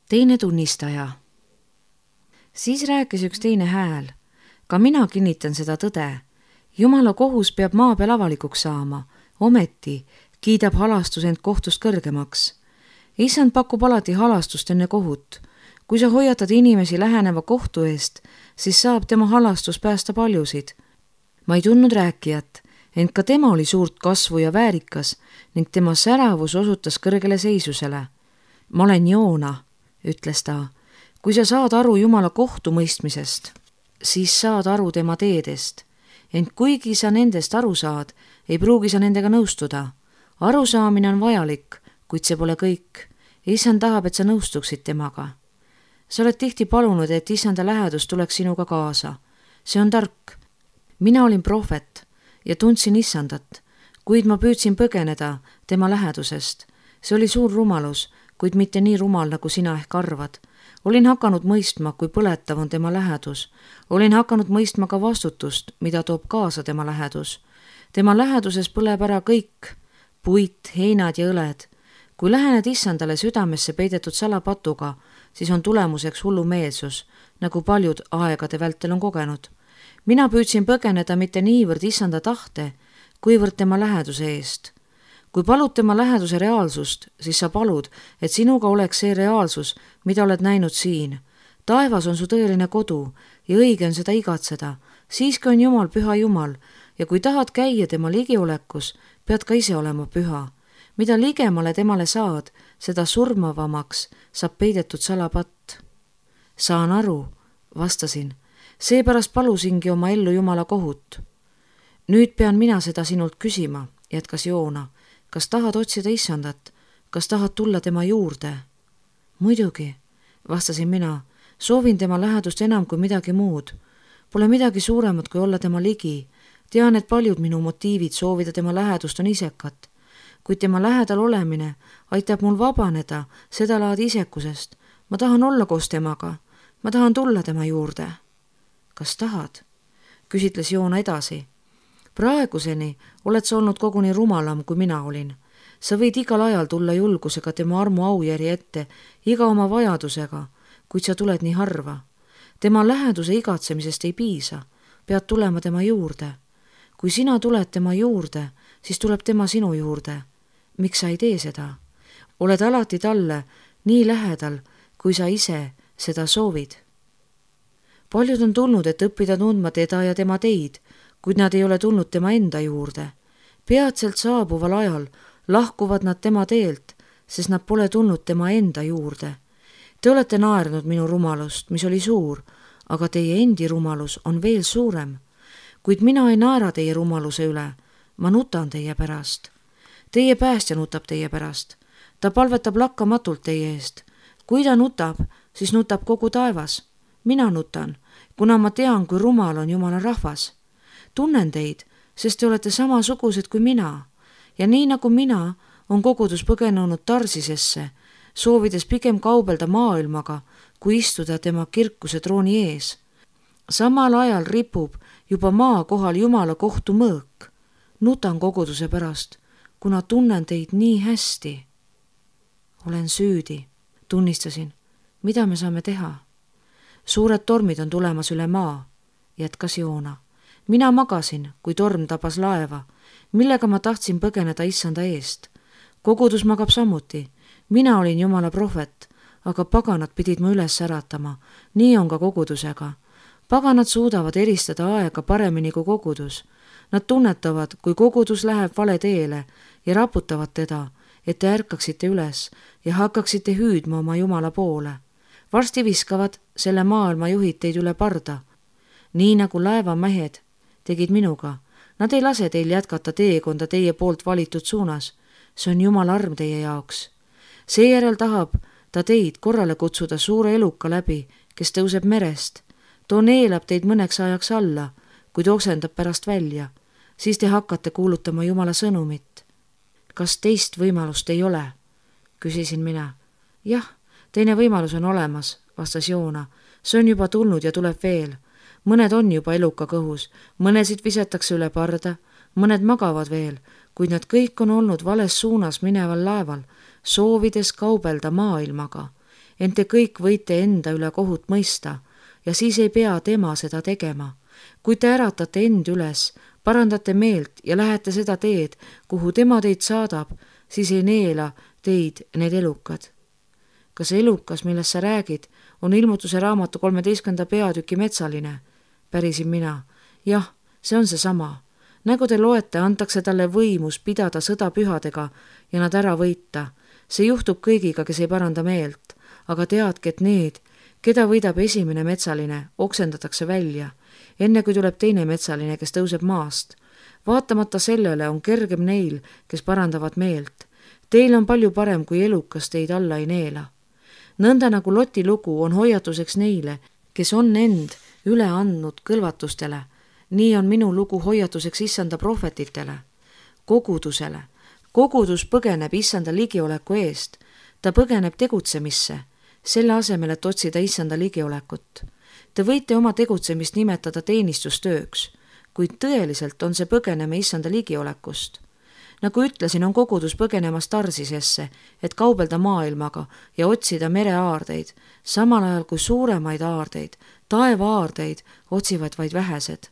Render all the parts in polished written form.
Teine tunnistaja. Siis rääkis üks teine hääl. Ka mina kinnitan seda tõde. Jumala kohus peab maa peal avalikuks saama. Ometi kiidab halastus end kohtust kõrgemaks. Issand pakub alati halastust enne kohut. Kui sa hoiatad inimesi läheneva kohtu eest, siis saab tema halastus päästa paljusid. Ma ei tundnud rääkijat, ent ka tema oli suurt kasvu ja väärikas ning tema säravus osutas kõrgele seisusele. Ma olen Joona, ütles ta. Kui sa saad aru Jumala kohtumõistmisest, siis saad aru tema teedest. Ent kuigi sa nendest aru saad, ei pruugi sa nendega nõustuda. Arusaamine on vajalik, kuid see pole kõik. Issand tahab, et sa nõustuksid temaga. Sa oled tihti palunud, et Issanda lähedus tuleks sinuga kaasa. See on tark. Mina olin prohvet ja tundsin Issandat, kuid ma püüdsin põgeneda tema lähedusest. See oli suur rumalus, kuid mitte nii rumal, nagu sina ehk arvad. Olin hakanud mõistma, kui põletav on tema lähedus. Olin hakanud mõistma ka vastutust, mida toob kaasa tema lähedus. Tema läheduses põleb ära kõik, puit, heinad ja õled. Kui lähened Issandale südamesse peidetud salapatuga, siis on tulemuseks hullumeelsus, nagu paljud aegade vältel on kogenud. Mina püüdsin põgeneda mitte niivõrd Issanda tahte, kuivõrd tema läheduse eest. Kui palud tema läheduse reaalsust, siis sa palud, et sinuga oleks see reaalsus, mida oled näinud siin. Taevas on su tõeline kodu ja õige on seda igatseda. Siiski on Jumal püha Jumal ja kui tahad käia tema ligiolekus, pead ka ise olema püha. Mida ligemale temale saad, seda surmavamaks saab peidetud salapatt. Saan aru, vastasin. Seepärast palusingi oma ellu Jumala kohut. Nüüd pean mina seda sinult küsima, jätkas Joona. Kas tahad otsida Issandat? Kas tahad tulla tema juurde? Muidugi, vastasin mina. Soovin tema lähedust enam kui midagi muud. Pole midagi suuremat kui olla tema ligi. Tean, et paljud minu motiivid soovida tema lähedust on isekad. Kuid tema lähedal olemine aitab mul vabaneda seda laadi isekusest. Ma tahan olla koos temaga. Ma tahan tulla tema juurde. Kas tahad? Küsitles Joona edasi. Praeguseni oled sa olnud koguni rumalam, kui mina olin. Sa võid igal ajal tulla julgusega tema armu aujärje ette, iga oma vajadusega, kuid sa tuled nii harva. Tema läheduse igatsemisest ei piisa, pead tulema tema juurde. Kui sina tuled tema juurde, siis tuleb tema sinu juurde. Miks sa ei tee seda? Oled alati talle nii lähedal, kui sa ise seda soovid. Paljud on tulnud, et õppida tundma teda ja tema teid, kuid nad ei ole tulnud tema enda juurde. Peatselt saabuval ajal lahkuvad nad tema teelt, sest nad pole tulnud tema enda juurde. Te olete naernud minu rumalust, mis oli suur, aga teie endi rumalus on veel suurem. Kuid mina ei naera teie rumaluse üle, ma nutan teie pärast. Teie päästja nutab teie pärast. Ta palvetab lakkamatult teie eest. Kui ta nutab, siis nutab kogu taevas. Mina nutan, kuna ma tean, kui rumal on Jumala rahvas. Tunnen teid, sest te olete samasugused kui mina. Ja nii nagu mina, on kogudus põgenenud Tarsisesse, soovides pigem kaubelda maailmaga, kui istuda tema kirkuse trooni ees. Samal ajal ripub juba maa kohal Jumala kohtu mõõk. Nutan koguduse pärast, kuna tunnen teid nii hästi. Olen süüdi, tunnistasin. Mida me saame teha? Suured tormid on tulemas üle maa, jätkas Joona. Mina magasin, kui torm tabas laeva, millega ma tahtsin põgeneda Issanda eest. Kogudus magab samuti. Mina olin Jumala prohvet, aga paganad pidid mu üles äratama. Nii on ka kogudusega. Paganad suudavad eristada aega paremini kui kogudus. Nad tunnetavad, kui kogudus läheb vale teele ja raputavad teda, et te ärkaksite üles ja hakkaksite hüüdma oma Jumala poole. Varsti viskavad selle maailma juhid teid üle parda, nii nagu laevamehed tegid minuga. Nad ei lase teil jätkata teekonda teie poolt valitud suunas. See on Jumala arm teie jaoks. Seejärel tahab ta teid korrale kutsuda suure eluka läbi, kes tõuseb merest. Too neelab teid mõneks ajaks alla, kuid oksendab pärast välja. Siis te hakkate kuulutama Jumala sõnumit. Kas teist võimalust ei ole? Küsisin mina. Jah, teine võimalus on olemas, vastas Joona. See on juba tulnud ja tuleb veel. Mõned on juba eluka kõhus, mõnesid visatakse üle parda, mõned magavad veel, kuid nad kõik on olnud vales suunas mineval laeval, soovides kaubelda maailmaga. ent te kõik võite enda üle kohut mõista ja siis ei pea tema seda tegema. Kui te äratate end üles, parandate meelt ja lähete seda teed, kuhu tema teid saadab, siis ei neela teid need elukad. Kas elukas, millest sa räägid, on Ilmutuse raamatu 13. peatüki metsaline? Pärisin mina. Jah, see on seesama. Nagu te loete, antakse talle võimus pidada sõda pühadega ja nad ära võita. See juhtub kõigiga, kes ei paranda meelt, aga teadke, et need, keda võidab esimene metsaline, oksendatakse välja, enne kui tuleb teine metsaline, kes tõuseb maast. Vaatamata sellele on kergem neil, kes parandavad meelt. Teil on palju parem, kui elukas teid alla ei neela. Nõnda nagu Loti lugu on hoiatuseks neile, kes on end üle andnud kõlvatustele, nii on minu lugu hoiatuseks issanda prohvetitele, kogudusele. Kogudus põgeneb issanda ligioleku eest, ta põgeneb tegutsemisse, selle asemel, et otsida issanda ligiolekut. Te võite oma tegutsemist nimetada teenistustööks, kuid tõeliselt on see põgeneme issanda ligiolekust. Nagu ütlesin, on kogudus põgenemas Tarsisesse, et kaubelda maailmaga ja otsida mereaardeid, samal ajal kui suuremaid aardeid, taevaaardeid otsivad vaid vähesed.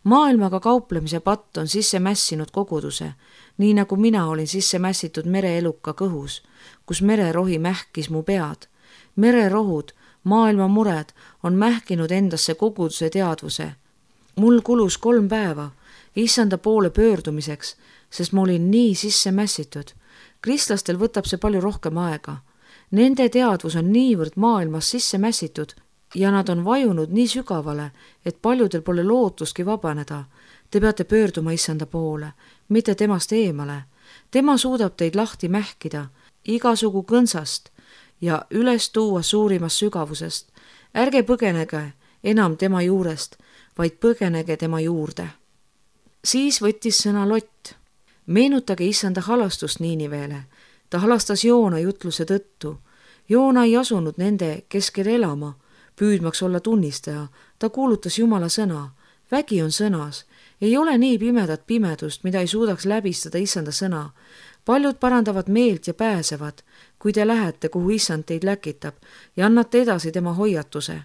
Maailmaga kauplemise patt on sisse mässinud koguduse, nii nagu mina olin sisse mässitud mereeluka kõhus, kus mererohi mähkis mu pead. Mererohud, maailma mured on mähkinud endasse koguduse teadvuse. Mul kulus 3 päeva issanda poole pöördumiseks, sest ma olin nii sisse mässitud. Kristlastel võtab see palju rohkem aega. Nende teadvus on niivõrd maailmas sisse mässitud ja nad on vajunud nii sügavale, et paljudel pole lootustki vabaneda. Te peate pöörduma issanda poole, mitte temast eemale. Tema suudab teid lahti mähkida igasugu kõnsast ja üles tuua suurimast sügavusest. Ärge põgenege enam tema juurest, vaid põgenege tema juurde. Siis võttis sõna Lott. Meenutage issanda halastust Niiniveele. Ta halastas Joona jutluse tõttu. Joona ei asunud nende keskel elama, püüdmaks olla tunnistaja. Ta kuulutas Jumala sõna. Vägi on sõnas. Ei ole nii pimedat pimedust, mida ei suudaks läbistada issanda sõna. Paljud parandavad meelt ja pääsevad, kui te lähete, kuhu issand teid läkitab ja annate edasi tema hoiatuse.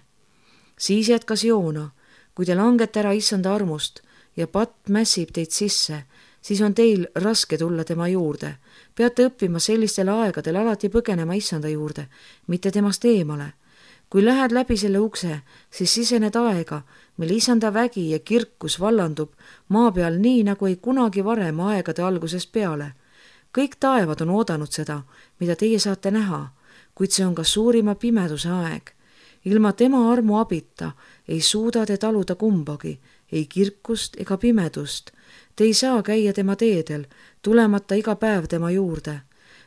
Siis jätkas Joona. Kui te langete ära issanda armust ja patt mässib teid sisse, siis on teil raske tulla tema juurde. Peate õppima sellistel aegadel alati põgenema issanda juurde, mitte temast eemale. Kui lähed läbi selle ukse, siis sisened aega, mil issanda vägi ja kirkus vallandub maa peal nii, nagu ei kunagi varem aegade algusest peale. Kõik taevad on oodanud seda, mida teie saate näha, kuid see on ka suurima pimeduse aeg. Ilma tema armu abita ei suuda te taluda kumbagi, ei kirkust ega pimedust. Te ei saa käia tema teedel, tulemata iga päev tema juurde.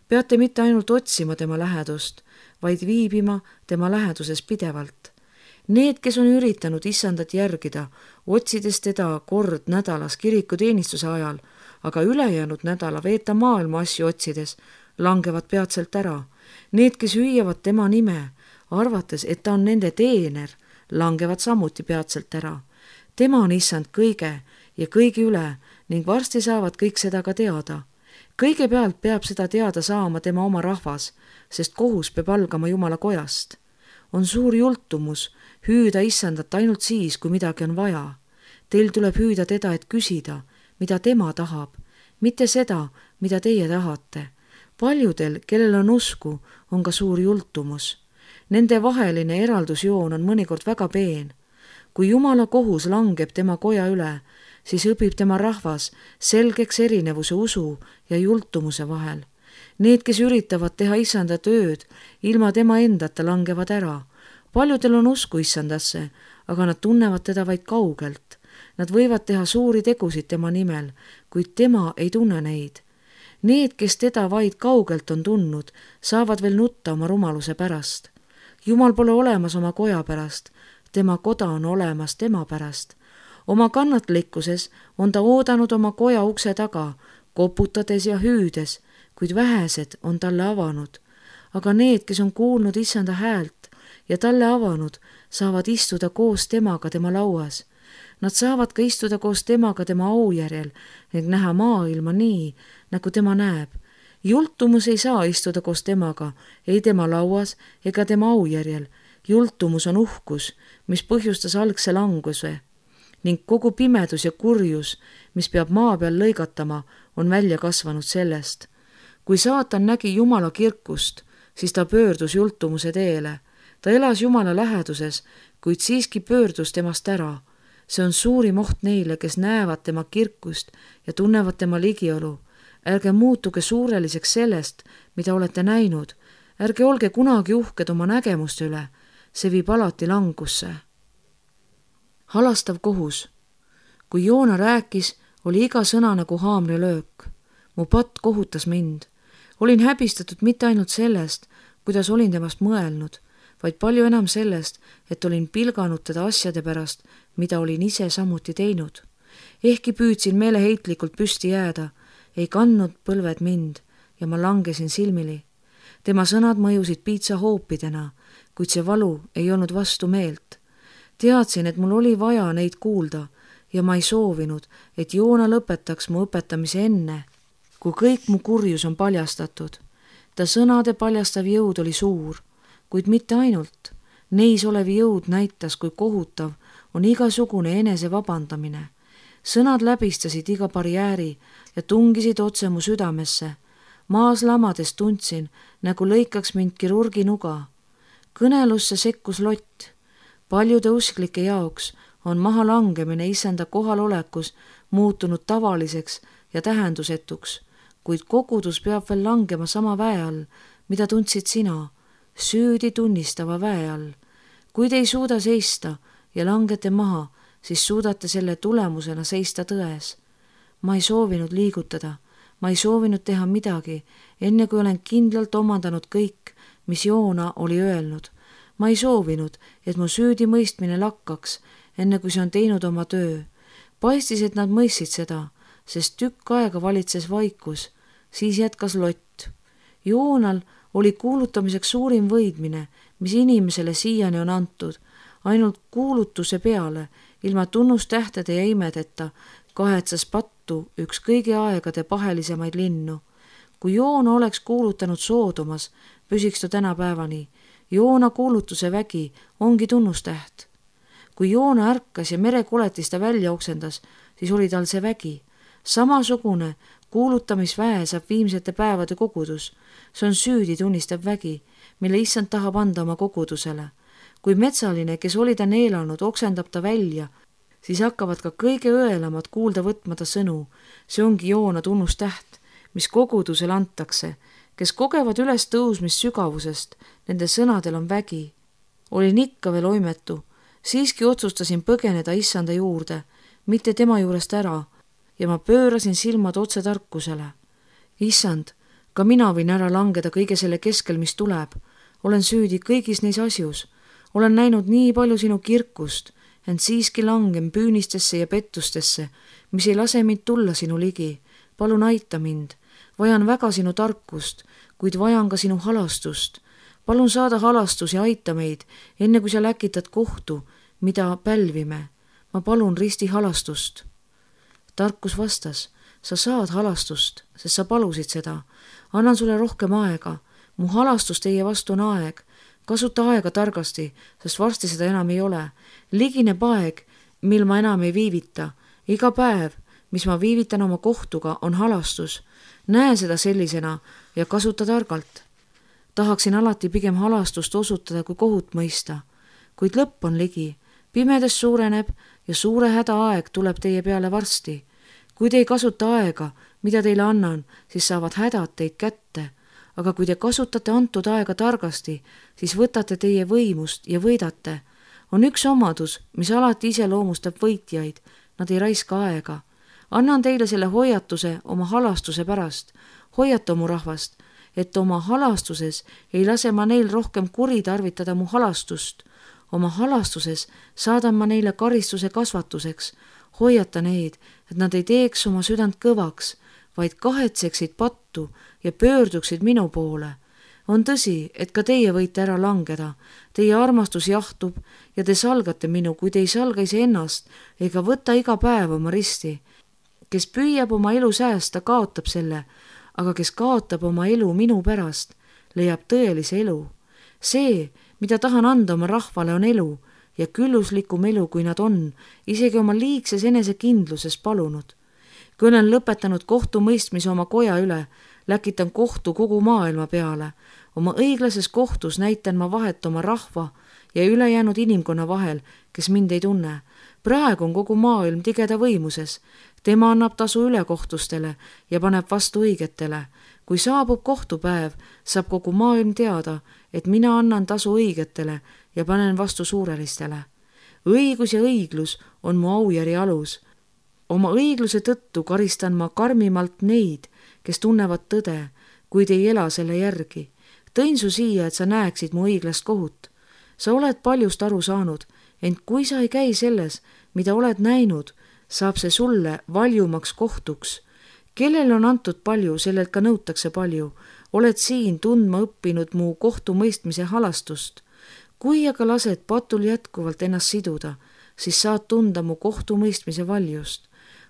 Peate mitte ainult otsima tema lähedust, vaid viibima tema läheduses pidevalt. Need, kes on üritanud issandat järgida, otsides teda kord nädalas kirikuteenistuse ajal, aga ülejäänud nädala veeta maailma asju otsides, langevad peatselt ära. Need, kes hüüavad tema nime, arvates, et ta on nende teener, langevad samuti peatselt ära. Tema on issand kõige ja kõigi üle ning varsti saavad kõik seda ka teada. Kõigepealt peab seda teada saama tema oma rahvas, sest kohus peab algama Jumala kojast. On suur jultumus hüüda issandat ainult siis, kui midagi on vaja. Teil tuleb hüüda teda, et küsida, mida tema tahab, mitte seda, mida teie tahate. Paljudel, kellel on usku, on ka suur jultumus. Nende vaheline eraldusjoon on mõnikord väga peen. Kui Jumala kohus langeb tema koja üle, siis õpib tema rahvas selgeks erinevuse usu ja jultumuse vahel. Need, kes üritavad teha issanda tööd, ilma tema endata langevad ära. Paljudel on usku issandasse, aga nad tunnevad teda vaid kaugelt. Nad võivad teha suuri tegusid tema nimel, kuid tema ei tunne neid. Need, kes teda vaid kaugelt on tundnud, saavad veel nutta oma rumaluse pärast. Jumal pole olemas oma koja pärast, tema koda on olemas tema pärast. Oma kannatlikkuses on ta oodanud oma koja ukse taga, koputades ja hüüdes, kuid vähesed on talle avanud. Aga need, kes on kuulnud issanda häält ja talle avanud, saavad istuda koos temaga tema lauas. Nad saavad ka istuda koos temaga tema aujärjel ning näha maailma nii, nagu tema näeb. jultumus ei saa istuda koos temaga, ei tema lauas ega tema aujärjel. Jultumus on uhkus, mis põhjustas algse languse ning kogu pimedus ja kurjus, mis peab maa peal lõigatama, on välja kasvanud sellest. Kui saatan nägi Jumala kirkust, siis ta pöördus jultumuse teele. Ta elas Jumala läheduses, kuid siiski pöördus temast ära. See on suurim oht neile, kes näevad tema kirkust ja tunnevad tema ligiolu. Ärge muutuge suureliseks sellest, mida olete näinud. Ärge olge kunagi uhked oma nägemuste üle. See viib alati langusse. Halastav kohus. Kui Joona rääkis, oli iga sõna nagu haamrilöök. Mu patt kohutas mind. Olin häbistatud mitte ainult sellest, kuidas olin temast mõelnud, vaid palju enam sellest, et olin pilganud teda asjade pärast, mida olin ise samuti teinud. Ehkki püüdsin meeleheitlikult püsti jääda, ei kandnud põlved mind ja ma langesin silmili. Tema sõnad mõjusid piitsahoopidena, kuid see valu ei olnud vastu meelt. Teadsin, et mul oli vaja neid kuulda ja ma ei soovinud, et Joona lõpetaks mu õpetamise enne, kui kõik mu kurjus on paljastatud. Ta sõnade paljastav jõud oli suur, kuid mitte ainult. Neis olev jõud näitas, kui kohutav on igasugune enese vabandamine. Sõnad läbistasid iga barjääri ja tungisid otse mu südamesse. Maas lamades tundsin, nagu lõikaks mind kirurgi nuga. Kõnelusse sekkus Lott. Paljude usklike jaoks on maha langemine issanda kohalolekus muutunud tavaliseks ja tähendusetuks, kuid kogudus peab veel langema sama väe all, mida tundsid sina, süüdi tunnistava väe all. Kui te ei suuda seista ja langete maha, siis suudate selle tulemusena seista tões. Ma ei soovinud liigutada, ma ei soovinud teha midagi, enne kui olen kindlalt omandanud kõik, mis Joona oli öelnud. Ma ei soovinud, et mu süüdi mõistmine lakkaks, enne kui see on teinud oma töö. Paistis, et nad mõistsid seda, sest tükk aega valitses vaikus. Siis jätkas Lott. Joonal oli kuulutamiseks suurim võidmine, mis inimesele siiani on antud. Ainult kuulutuse peale, ilma tunnustähtede ja imedeta, kahetsas pattu üks kõigi aegade pahelisemaid linnu. Kui Joona oleks kuulutanud Soodomas, püsiks ta tänapäevani. Joona kuulutuse vägi ongi tunnustäht. Kui Joona ärkas ja merekoletista välja oksendas, siis oli tal see vägi. Samasugune kuulutamisväe saab viimsete päevade kogudus. See on süüdi tunnistav vägi, mille issand tahab anda oma kogudusele. Kui metsaline, kes oli ta neelanud, oksendab ta välja, siis hakkavad ka kõige õelamad kuulda võtma ta sõnu. See ongi Joona tunnustäht, mis kogudusele antakse. Kes kogevad üles tõusmist sügavusest, nende sõnadel on vägi. Olin ikka veel oimetu, siiski otsustasin põgeneda issanda juurde, mitte tema juurest ära, ja ma pöörasin silmad otse tarkusele. Issand, ka mina võin ära langeda kõige selle keskel, mis tuleb. Olen süüdi kõigis neis asjus. Olen näinud nii palju sinu kirkust, ent siiski langen püünistesse ja pettustesse, mis ei lase mind tulla sinu ligi. Palun aita mind. Vajan väga sinu tarkust, kuid vajan ka sinu halastust. Palun saada halastus ja aita meid, enne kui sa läkitad kohtu, mida pälvime. Ma palun risti halastust. Tarkus vastas, sa saad halastust, sest sa palusid seda. Annan sulle rohkem aega. Mu halastus teie vastu on aeg. Kasuta aega targasti, sest varsti seda enam ei ole. Ligineb aeg, mil ma enam ei viivita. Iga päev, mis ma viivitan oma kohtuga, on halastus. Näe seda sellisena ja kasuta targalt. Tahaksin alati pigem halastust osutada kui kohut mõista, kuid lõpp on ligi. Pimedes suureneb ja suure häda aeg tuleb teie peale varsti. Kui te ei kasuta aega, mida teile annan, siis saavad hädad teid kätte. Aga kui te kasutate antud aega targasti, siis võtate teie võimust ja võidate. On üks omadus, mis alati iseloomustab võitjaid. Nad ei raiska aega. Annan teile selle hoiatuse oma halastuse pärast. Hoiata mu rahvast, et oma halastuses ei lase ma neil rohkem kuritarvitada mu halastust. Oma halastuses saadan ma neile karistuse kasvatuseks. Hoiata neid, et nad ei teeks oma südant kõvaks, vaid kahetseksid pattu ja pöörduksid minu poole. On tõsi, et ka teie võite ära langeda. Teie armastus jahtub ja te salgate minu, kui te ei salga iseennast ega võta iga päev oma risti. Kes püüab oma elu säästa, kaotab selle, aga kes kaotab oma elu minu pärast, leiab tõelise elu. See, mida tahan anda oma rahvale, on elu ja külluslikum elu, kui nad on, isegi oma liigses enesekindluses palunud. Kui olen lõpetanud kohtumõistmise oma koja üle, läkitan kohtu kogu maailma peale. Oma õiglases kohtus näitan ma vahet oma rahva ja ülejäänud inimkonna vahel, kes mind ei tunne. Praegu on kogu maailm tigeda võimuses. Tema annab tasu ülekohtustele ja paneb vastu õigetele. Kui saabub kohtupäev, saab kogu maailm teada, et mina annan tasu õigetele ja panen vastu suurelistele. Õigus ja õiglus on mu aujärje alus. Oma õigluse tõttu karistan ma karmimalt neid, kes tunnevad tõde, kuid ei ela selle järgi. Tõin su siia, et sa näeksid mu õiglast kohut. Sa oled paljust aru saanud, ent kui sa ei käi selles, mida oled näinud, saab see sulle valjumaks kohtuks. Kellel on antud palju, sellelt ka nõutakse palju. Oled siin tundma õppinud mu kohtumõistmise halastust. Kui aga lased patul jätkuvalt ennast siduda, siis saad tunda mu kohtumõistmise valjust.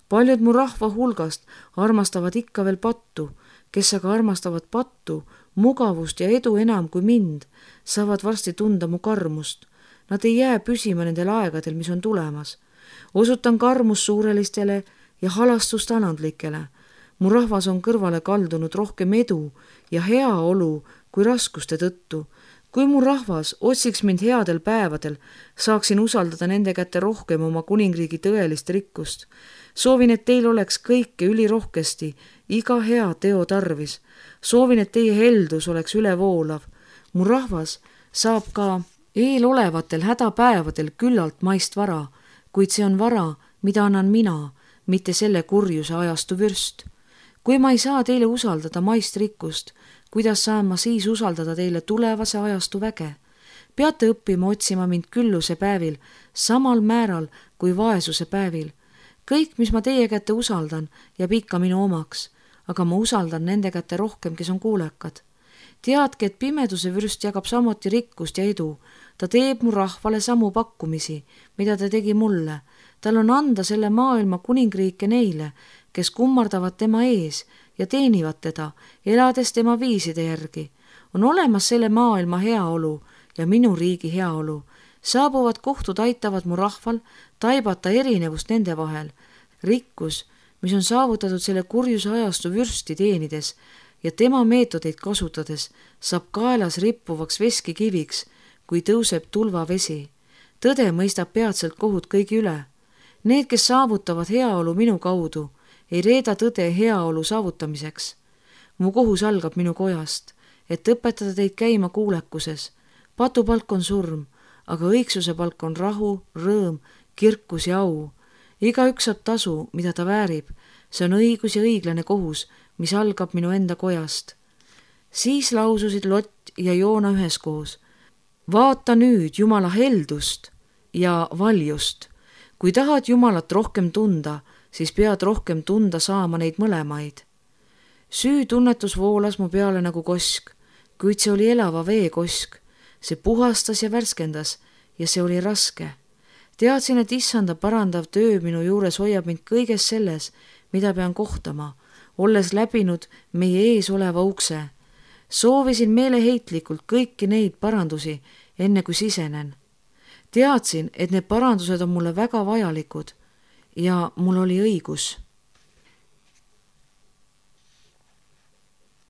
Paljud mu rahva hulgast armastavad ikka veel pattu, kes aga armastavad pattu, mugavust ja edu enam kui mind, saavad varsti tunda mu karmust. Nad ei jää püsima nendel aegadel, mis on tulemas. Osutan karmust suurelistele ja halastust anandlikele. Mu rahvas on kõrvale kaldunud rohkem edu ja heaolu kui raskuste tõttu. Kui mu rahvas otsiks mind headel päevadel, saaksin usaldada nende kätte rohkem oma kuningriigi tõelist rikkust. Soovin, et teil oleks kõike ülirohkesti, iga hea teo tarvis. Soovin, et teie heldus oleks ülevoolav. Mu rahvas saab ka eelolevatel hädapäevadel küllalt maist vara, kuid see on vara, mida annan mina, mitte selle kurjuse ajastu vürst. Kui ma ei saa teile usaldada maist rikkust, kuidas saan ma siis usaldada teile tulevase ajastu väge? Peate õppima otsima mind külluse päevil, samal määral kui vaesuse päevil. Kõik, mis ma teie kätte usaldan, jääb ikka minu omaks, aga ma usaldan nende kätte rohkem, kes on kuulekad. Teadke, et pimeduse vürst jagab samuti rikkust ja edu. Ta teeb mu rahvale samu pakkumisi, mida ta tegi mulle. Tal on anda selle maailma kuningriike neile, kes kummardavad tema ees ja teenivad teda, elades tema viiside järgi. On olemas selle maailma heaolu ja minu riigi heaolu. Saabuvad kohtud aitavad mu rahval taibata erinevust nende vahel. Rikkus, mis on saavutatud selle kurjuse ajastu vürsti teenides ja tema meetodeid kasutades, saab kaelas rippuvaks veskikiviks, kui tõuseb tulvavesi. Tõde mõistab peatselt kohut kõigi üle. Need, kes saavutavad heaolu minu kaudu, ei reeda tõde heaolu saavutamiseks. Mu kohus algab minu kojast, et õpetada teid käima kuulekuses. Patupalk on surm, aga õigsuse palk on rahu, rõõm, kirkus ja au. Igaüks saab tasu, mida ta väärib. See on õigus ja õiglane kohus, mis algab minu enda kojast. Siis laususid Lott ja Joona üheskoos. Vaata nüüd Jumala heldust ja valjust. Kui tahad Jumalat rohkem tunda, siis pead rohkem tunda saama neid mõlemaid. Süütunnetus voolas mu peale nagu kosk, kuid see oli elava vee kosk. See puhastas ja värskendas ja see oli raske. Teadsin, et issanda parandav töö minu juures hoiab mind kõiges selles, mida pean kohtama, olles läbinud meie ees oleva ukse. Soovisin meeleheitlikult kõiki neid parandusi, enne kui sisenen. Teadsin, et need parandused on mulle väga vajalikud ja mul oli õigus.